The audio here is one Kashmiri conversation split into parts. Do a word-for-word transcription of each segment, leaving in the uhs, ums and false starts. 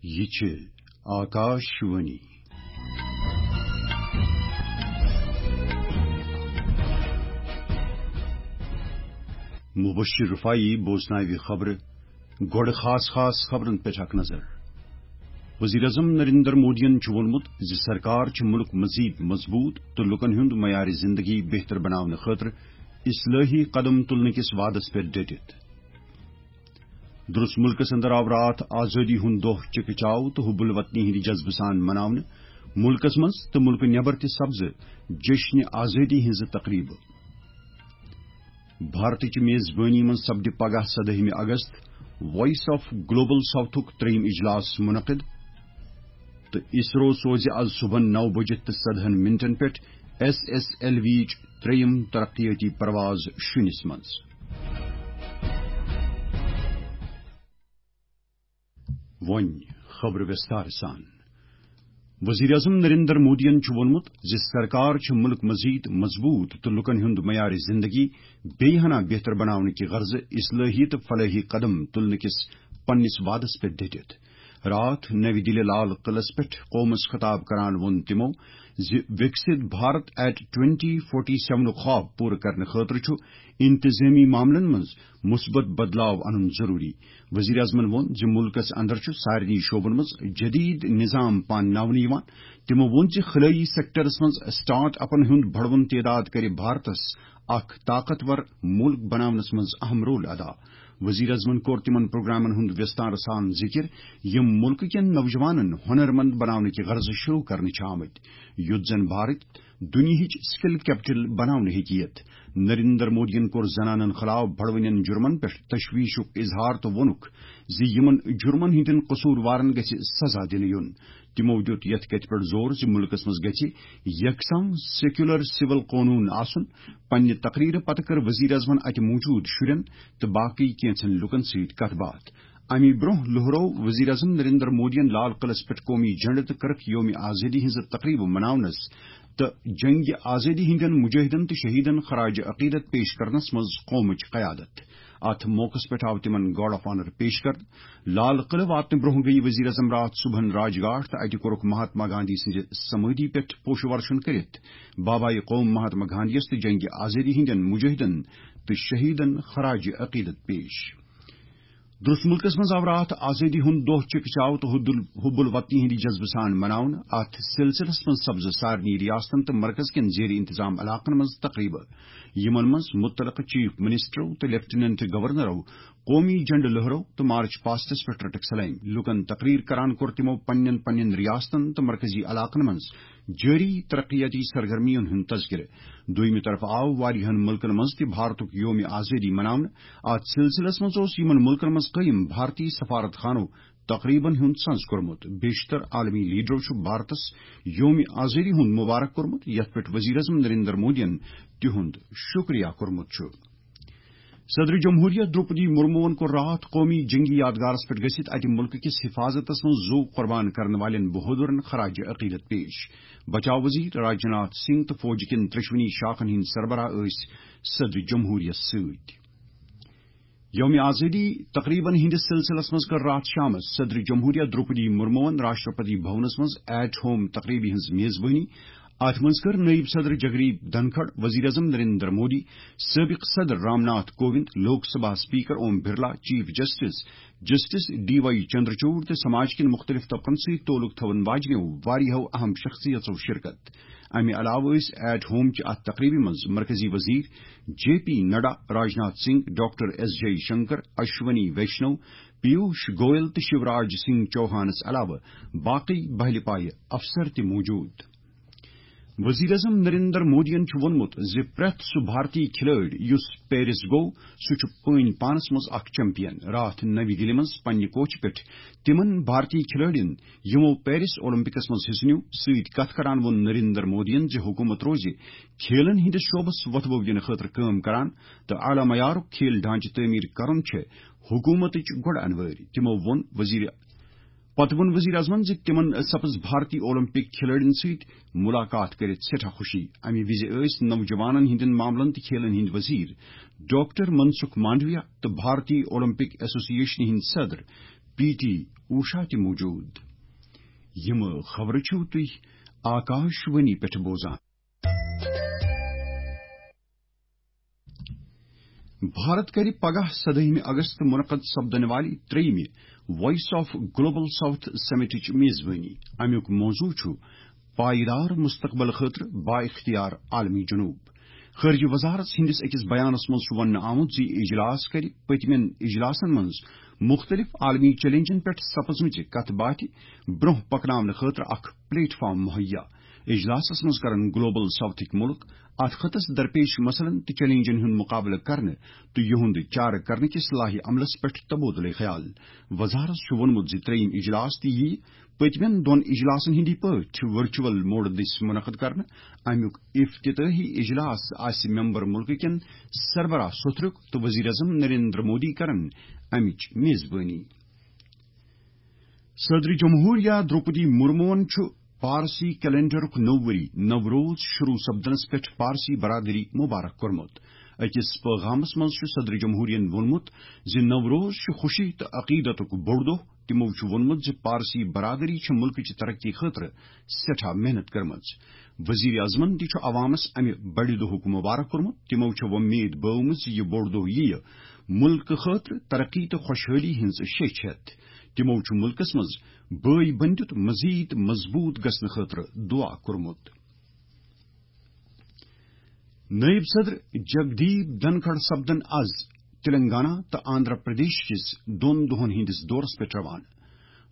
یہِ چھِ آکاش وانی۔ مبشر رفاعی بوزناوِ خبرٕ۔ گۄڈٕ خاص خاص خبرن پٮ۪ٹھ اکھ نظر۔ وزیر اعظم نریندر مودیَن چھُ ووٚنمُت زِ سرکار چھِ مُلک مزید مضبوط تہٕ لوٗکَن ہُنٛد معیار زندگی بہتر بناونہٕ خٲطرٕ اصلاحی قدم تُلنہٕ کِس وعدس پٮ۪ٹھ ڈٔٹِتھ۔ درس مُلکَس اندر آو راتھ آزٲدی ہُنٛد دۄہ چکہٕ چاو تہٕ حب الوطنی ہٕنٛدِ جذبہٕ سان مناونہٕ۔ مُلکَس منٛز تہٕ مُلکہٕ نٮ۪بر تہِ سپزٕ جشنِ آزٲدی ہٕنٛزٕ تقریبہٕ۔ بھارتٕچ میزبٲنی منٛز سپدِ پگاہ سدٲہمہِ اگست Voice of Global Southُک ترٛیٚیِم اجلاس منعقد تہٕ اسرو سوزِ از صبحن نو بجہِ تہٕ ژۄدہن منٹن پٮ۪ٹھ ایس ایس ایل وی یِچ ترٛیٚیِم ترقیٲتی پرواز شُنِس منٛز۔ وۄنۍ خبرٕ وِستار سان۔ وزیر اعظم نریندر مودیَن چھُ ووٚنمُت زِ سرکار چھِ مُلک مزید مضبوط تہٕ لوٗکَن ہُنٛد معیار زندگی بیٚیہِ ہنا بہتر بناونہٕ کہِ غرضہٕ اصلاحی تہٕ فلاحی قدم تُلنہٕ کِس پننِس وعدس پٮ۪ٹھ ڈٔٹِتھ۔ راتھ نَوِ دِلہِ لال قلعس پٮ۪ٹھ قومس خطاب کران ووٚن تِمو زِ وِکسِت بھارت ایٹ ٹُوَنٹی فورٹی سیونُک خواب پوٗرٕ کرنہٕ خٲطرٕ چھُ انتظٲمی معاملن منٛز مثبت بدلاو انُن ضروٗری۔ وزیر اعظمن ووٚن زِ مُلکَس اندر چھُ سارنٕے شعبن منٛز جدید نظام پانناونہٕ یِوان۔ تِمو ووٚن زِ خلٲیی سیکٹرس منٛز سٹارٹ اپن ہُنٛد بڑوُن تعداد کرِ بھارتس اکھ طاقتور مُلک بناونس منٛز اہم رول ادا۔ وزیر اعظمن کوٚر تِمن پروگرامن ہُنٛد وِستار سان ذِکِر، یِم مُلکہٕ کٮ۪ن نوجوانن ہُنرمند بناونہٕ کہِ غرضہٕ شروع کرنہٕ چھِ آمٕتۍ، یُتھ زن بھارت دُنیاہٕچ سکل کیپٹل بناونہٕ ہیٚکہِ یِتھ۔ نریندر مودیَن کوٚر زنانن خلاف بڑوٕنٮ۪ن جُرمن پٮ۪ٹھ تشویشُک اظہار تہٕ ووٚنُکھ زِ یِمن جُرمن ہٕنٛدٮ۪ن قصوٗروارن گژھِ سزا دِنہٕ یُن۔ تِمو دیُت یَتھ کَتھِ پٮ۪ٹھ زور زِ مُلکَس منٛز گژھِ یکساں سیکولر سول قونوٗن آسُن۔ پننہِ تقریرٕ پتہٕ کٔر وزیر اعظمن اَتہِ موٗجوٗد شُرٮ۪ن تہٕ باقٕے کینٛژن لوٗکَن سۭتۍ کتھ باتھ۔ اَمہِ برٛونٛہہ لوہرو وزیر اعظم نریندر مودیَن لال قلعس پٮ۪ٹھ قومی جھنڈٕ تہٕ کٔرٕکھ یوم آزٲدی ہٕنٛزٕ تقریبہٕ مناونَس تہٕ جنگِ آزٲدی ہٕنٛدٮ۪ن مجاہدن تہٕ شہیدن خراج عقیدت پیش کرنس منٛز قومٕچ قیادت۔ اتھ موقعس پٮ۪ٹھ آو تِمن گارڈ آف آنر پیش کرنہٕ۔ لال قلعہٕ واتنہٕ برٛونٛہہ گٔیہِ وزیر اعظم راتھ صبحن راج گھاٹ تہٕ اتہِ کوٚرُکھ مہاتما گاندھی سٕنٛزِ سمٲدھی پٮ۪ٹھ پوشہٕ ورشن کٔرِتھ بابائے قوم مہاتما گاندھیَس تہٕ جنگِ آزٲدی ہٕنٛدٮ۪ن مجاہدن تہٕ شہیدن خراج عقیدت پیش۔ درس ملکس منٛز آو راتھ آزٲدی ہُنٛد دۄہ چکہٕ چاو تہٕ حب ال-، حب الوطنی ہٕنٛدِ جذبہٕ سان مناونہٕ۔ اتھ سلسلس منٛز سپزٕ سارنٕے ریاستن تہٕ مرکز کٮ۪ن زیر انتظام علاقن منٛز تقریبہٕ، یِمن منٛز متعلقہٕ چیف منسٹرو تہٕ لیفٹیننٹ گورنرو قومی جھنڈٕ لہرو تہٕ مارچ پاسٹس پٮ۪ٹھ رٔٹٕکھ سلٲمۍ۔ لوٗکن تقریر کران کوٚر تِمو پننٮ۪ن پننٮ۪ن ریاستن تہٕ مرکزی علاقن منٛز جٲری ترقیاتی سرگرمیَن ہُنٛد تذکرٕ۔ دوٚیمہِ طرفہٕ آو واریاہَن مُلکَن منٛز تہِ بھارتُک یومِ آزٲدی مناونہٕ۔ اَتھ سلسلس منٛز اوس یِمَن مُلکَن منٛز قٲیِم بھارتی سفارت خانو تقریبن ہُنٛد سنز کوٚرمُت۔ بیشتر عالمی لیڈرو چھُ بھارتس یومِ آزٲدی ہُنٛد مُبارک کوٚرمُت، یَتھ پٮ۪ٹھ وزیر اعظم نریندر مودیَن تِہُنٛد شُکریہ کوٚرمُت چھُ۔ صدر جمہوریہ دروپدی مرموَن کوٚر راتھ قومی جنگی یادگارس پٮ۪ٹھ گٔژھِتھ اتہِ مُلکہٕ کِس حفاظتس منٛز زُو قربان کرن والٮ۪ن بہادرن خراج عقیدت پیش۔ بچاو وزیر راجناتھ سنگھ تہٕ فوج کٮ۪ن ترٛیٚشوٕنی شاخن ہٕنٛدۍ سربراہ ٲسۍ صدر جمہوریہ سۭتۍ۔ یوم آزٲدی تقریبن ہٕنٛدِس سلسلس منٛز کٔر راتھ شامس صدر جمہوریہ دروپدی مرموَن راشٹرپتی بھونس منٛز ایٹ ہوم تقریبہِ ہٕنٛز میزبٲنی۔ اتھ منٛز کٔر نٲیِب صدر جگدیپ دھنکھڑ، وزیر اعظم نریندر مودی، سٲبق صدر Ram Nath Kovind, Lok Sabha speaker Om Birla, chief justice justice D Y Chandrachud تہٕ سماج کٮ۪ن مُختٔلِف طبقن سۭتۍ تعلق تھاوَن واجنیو واریاہو اہم شخصیژو شرکت۔ امہِ علاوٕ ٲسۍ ایٹ ہوم چہِ اتھ تقریبہِ منٛز مرکزی وزیر J P Nadda, Rajnath Singh, doctor S Jaishankar, Ashwini Vaishnaw, Piyush Goyal تہٕ شیوراج سنگھ چوہانس علاوٕ باقٕے بہلہِ پایہِ افسر تہِ موجود۔ وزیر اعظم نریندر مودیَن چھُ ووٚنمُت زِ پرٛٮ۪تھ سُہ بھارتی کھلٲڑۍ یُس پیرس گوٚو، سُہ چھُ پٲنۍ پانس منٛز اکھ چیمپین۔ راتھ نَوِ دِلہِ منٛز پننہِ کوچہِ پٮ۪ٹھ تِمن بھارتی کھلٲڑٮ۪ن، یِمو پیرس اولمپکس منٛز حصہٕ نیوٗ، سۭتۍ کتھ کران ووٚن نریندر مودیَن زِ حکوٗمت روزِ کھیلن ہٕنٛدِس شعبس وۄتھٕ بوٚو دِنہٕ خٲطرٕ کٲم کران تہٕ اعلیٰ معیارُک کھیل ڈھانچہٕ تعمیٖر کرُن چھِ حکوٗمتٕچ گۄڈٕ انوٲرۍ۔ تِمو ووٚن وزیر پتہٕ ووٚن وزیر اعظمن زِ تِمن سپٕز بھارتی اولمپک کھلٲڑٮ۪ن سۭتۍ ملاقات کٔرِتھ سٮ۪ٹھاہ خوشی۔ امہِ وِزِ ٲسۍ نوجوانن ہٕنٛدٮ۪ن معاملن تہٕ کھیلن ہٕنٛدۍ وزیر ڈاکٹر منسکھ مانڈویا تہٕ بھارتی اولمپک ایسوسی ایشنہِ ہٕنٛدۍ صدر پی ٹی اوشا تہِ موجود۔ یِم خبرٕ چھِو تُہۍ آکاش وانی پٮ۪ٹھ بوزان۔ بھارت کرِ پگاہ سدٲہمہِ اگست منعقد سپدن والہِ ترٛیٚیمہِ وائس آف گلوبل ساؤتھ سمٹٕچ میزبٲنی۔ امیُک موضوع چھُ پائیدار مستقبل خٲطرٕ بااختیار عالمی جنوب۔ خارجہ وزارت ہٕنٛدِس أکِس بیانس منٛز چھُ وننہٕ آمُت زِ یہِ اجلاس کرِ پٔتمٮ۪ن اجلاسن منٛز مختلف عالمی چیلنجن پٮ۪ٹھ سپزمٕژِ کتھ باتھِ برونٛہہ پکناونہٕ خٲطرٕ اکھ پلیٹ فارم مہیا۔ اجلاسس منٛز کرن گلوبل ساؤتھٕکۍ مُلک اتھ خطس درپیش مسلن تہٕ چیلنجن ہُنٛد مقابلہٕ کرنہٕ تہٕ یِہُنٛد چارٕ کرنہٕ کِس لاہہِ عملس پٮ۪ٹھ تبادلہٕ خیال۔ وزارت چھُ ووٚنمُت زِ ترٛیٚیِم اجلاس تہِ یِیہِ پٔتمٮ۪ن دۄن اجلاسن ہٕنٛدی پٲٹھۍ ورچوئل موڈ دٔسۍ منعقد کرنہٕ۔ امیُک افتتاحی اجلاس آسہِ ممبر مُلکہٕ کٮ۪ن سربراہ سوٚتھرُک تہٕ وزیر اعظم نریندر مودی کرن امِچ میزبٲنی۔ صدر جمہوریہ درٛوپدی مرموہن چھُ پارسی کیلنڈرُک نوٚو ؤری نوروز شروع سپدنس پٮ۪ٹھ پارسی برادری مبارک کوٚرمُت۔ أکِس پٲغامس منٛز چھُ صدر جمہوریہن ووٚنمُت زِ نوروز چھُ خوشی تہٕ عقیدتُک بوٚڑ دۄہ۔ تِمو چھُ ووٚنمُت زِ پارسی برادری چھِ مُلکٕچ ترقی خٲطرٕ سٮ۪ٹھاہ محنت کٔرمٕژ۔ وزیر اعظمن تہِ چھُ عوامس امہِ بڑِ دۄہُک مبارک کوٚرمُت۔ تِمو چھےٚ وۄمید بٲومٕژ زِ یہِ بوٚڑ دۄہ یِیہِ مُلکہٕ خٲطرٕ ترقی تہٕ خۄشحٲلی ہٕنٛز شیٚچھ ہٮ۪تھ۔ تِمو چھُ مُلکس منٛز بٲے بٔنٛدِتھ مزید مضبوٗط گژھنہٕ خٲطرٕ دعا کوٚرمُت۔ نٲیِب صدر جگدیپ دھنکھڑ سپدن از تلنگانہ تہٕ آندھرا پردیش کِس دۄن دۄہن ہٕنٛدِس دورس پٮ۪ٹھ روانہٕ۔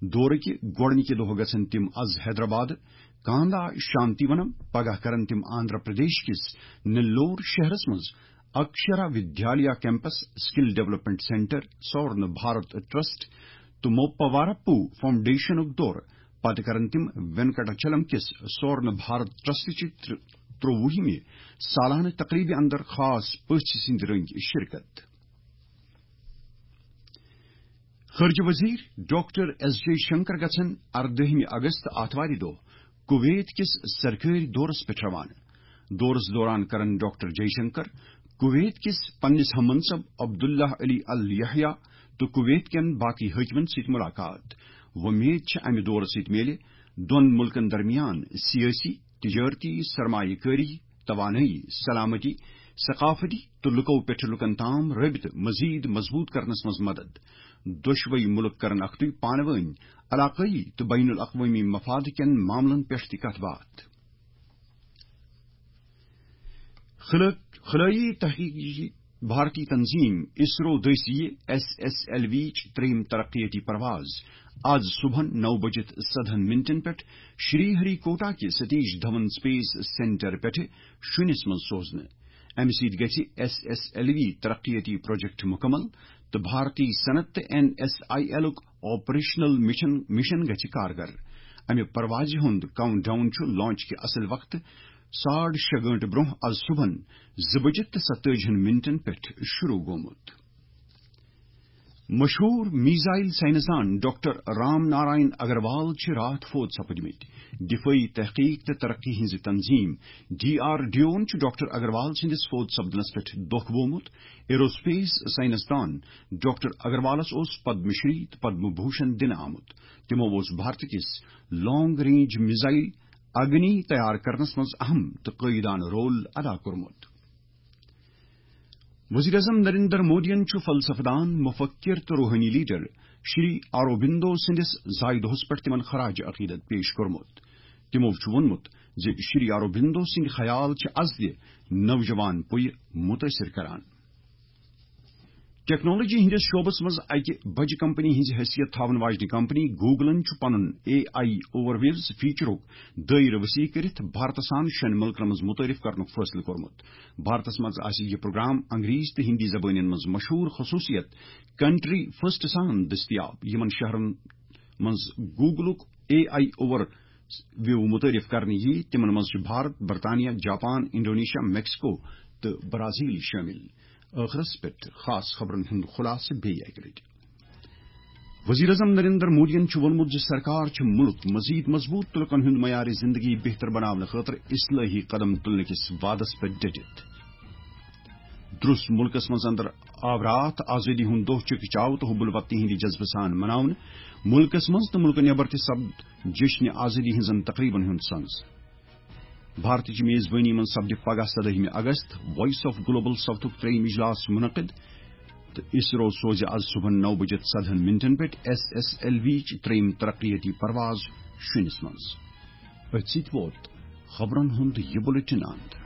دورٕکہِ گۄڈٕنِکہِ دۄہہ گژھن تِم از حیدرآباد کاندا شانتی ونم، پگاہ کرن تِم آندھرا پردیش کِس نیلور شہرس منٛز Akshara ودیالیا campus, skill development centre, سورن بھارت ٹرسٹ تہٕ موپاوارپو فاؤنڈیشنُک دورٕ۔ پتہٕ کرن تِم وینکٹاچلم کِس سورن بھارت ٹرسٹ چہِ تر-، ترٛوُہمہِ سالانہٕ تقریبہِ اندر خاص پٔژھۍ سٕنٛدِ رٔنگۍ شرکت۔ خارجہ وزیر ڈاکٹر ایس جے شنکر گژھن اردٲہمہِ اگست آتھوارِ دۄہ کویت کِس سرکٲرۍ دورس پٮ۪ٹھ روانہٕ۔ دورس دوران کرن ڈاکٹر جے شنکر کویت کِس پننِس ہم منصب عبداللہ علی ال یحییٰ تہٕ کویت کٮ۪ن باقی حٲکمن سۭتۍ ملاقات۔ وۄمید چھِ امہِ دورٕ سۭتۍ میلہِ دۄن مُلکن درمیان سیٲسی، تجارتی، سرمایہ کٲری، توانٲیی، سلامتی، ثقافتی تہٕ لُکو پٮ۪ٹھ لُکن تام رٲبطہٕ مزید مضبوط کرنس منٛز مدد۔ دۄشوے مُلک کرن اکھتُے پانہٕ وٲنۍ علاقٲیی تہٕ بین الاقوٲمی مفاد کٮ۪ن معاملن پٮ۪ٹھ تہِ کتھ باتھ۔ خلٲ-، خلٲیی تحقیقی بھارتی تنظیم اسرو دٔسۍ یہِ ایس ایس ایل وی چہِ ترٛیٚیِم ترقیتی پرواز آز صبحن نو بجِتھ سدہن منٹن پٮ۪ٹھ شری ہری کوٹا کہِ ستیش دھون سپیس سینٹر پٮ۪ٹھٕ شُنِس منٛز سوزنہٕ۔ امہِ سۭتۍ گژھِ ایس ایس ایل وی ترقیتی پروجیکٹ مکمل تہٕ بھارتی صنعت تہٕ این ایس آئی ایلُک آپریشنل مشن، مشن گژھِ کارگر۔ امہِ پروازِ ہُنٛد کاؤنٹ ڈاؤن چھُ لانچ کہِ اصل وقتہٕ ساڑ شےٚ گٲنٹہٕ برونٛہہ از صبحن زٕ بجِتھ تہٕ ستٲجی ہن منٹن پٮ۪ٹھ شروع گوٚمُت۔ مشہوٗر میزائل سائنسدان ڈاکٹر رام نارائن اگروال چھِ راتھ فوت سپٕدمٕتۍ۔ دفٲعی تحقیق تہٕ ترقی ہٕنٛزِ تنظیم ڈی آر ڈی اوَن چھُ ڈاکٹر اگروال سٕنٛدِس فوت سپدنس پٮ۪ٹھ دۄکھ بوومُت۔ ایروسپیس سائنسدان ڈاکٹر اگروالس اوس پدم شری تہٕ پدم بھوشن دِنہٕ آمُت۔ تِمو اوس بھارت کِس لانگ رینج میزائل اگنی تیار کرنس منٛز اہم تہٕ قٲیدانہٕ رول ادا کوٚرمُت۔ وزیر اعظم نریندر مودیَن چھُ فلسفہ دان، مفکر تہٕ روحٲنی لیڈر شری اروبندو سٕنٛدِس زایہِ دۄہَس پٮ۪ٹھ تِمَن خراج عقیدت پیش کوٚرمُت۔ تِمَو چھُ ووٚنمُت زِ شری اروبندو سٕنٛدۍ خیال چھِ از تہِ نوجوان پُیہِ مُتٲثِر کران۔ ٹیکنالوجی ہٕنٛدِس شعبس منٛز اکہِ بجہِ کمپنی ہٕنٛز حیثیت تھاون واجنہِ کمپنی گوگلن چھُ پنُن اے آئی اوور ویوز فیچرُک دٲیرٕ وسیع کٔرِتھ بھارتس سان شٮ۪ن مُلکن منٛز مُتعارف کرنُک فٲصلہٕ کوٚرمُت۔ بھارتس منٛز آسہِ یہِ پروگرام انگریزی تہٕ ہندی زبٲنٮ۪ن منٛز مشہوٗر خصوٗصیت کنٹری فرسٹ سان دٔستیاب، یِمن شہرن منٛز گوگلُک اے آئی اوور ویو متعارف کرنہٕ یِیہِ۔ تِمن منٛز چھِ بھارت، برطانیہ، جاپان، انڈونیشیا، میکسیکو تہٕ برازیل شٲمِل۔ ٲخرس پٮ۪ٹھ خاص خبرن ہُنٛد خلاصہٕ بیٚیہِ اکہِ لٹہِ۔ وزیر اعظم نریندر مودیَن چھُ ووٚنمُت زِ سرکار چھِ مُلک مزید مضبوٗط تہٕ لُکن ہُنٛد معیار زندگی بہتر بناونہٕ خٲطرٕ اصلاحی قدم تُلنہٕ کِس وعدس پٮ۪ٹھ ڈٔٹِتھ۔ ترُس مُلکس منٛز اندر آو راتھ آزٲدی ہُنٛد دۄہ چکہ چاو تہٕ حب الوطنی ہٕنٛدِ جذبہٕ سان مناونہٕ۔ مُلکس منٛز تہٕ مُلکہٕ نٮ۪بر تہِ سپد جشنِ آزٲدی ہٕنٛزن تقریبن ہُنٛد سنز۔ بھارتٕچ میزبٲنی منٛز سپدِ پگاہ سدٲہمہِ اگست وائس آف گلوبل ساؤتھُک ترٛیٚیِم اجلاس منعقد، تہٕ اسرو سوزِ از صبحن نو بجے ژۄدہن منٹن پٮ۪ٹھ ایس ایس ایل وی چہِ ترٛیٚیِم ترقیتی پرواز شُنِس منٛز۔ أتھۍ سۭتۍ ووت خبرن ہُنٛد یہِ بُلٹن اند۔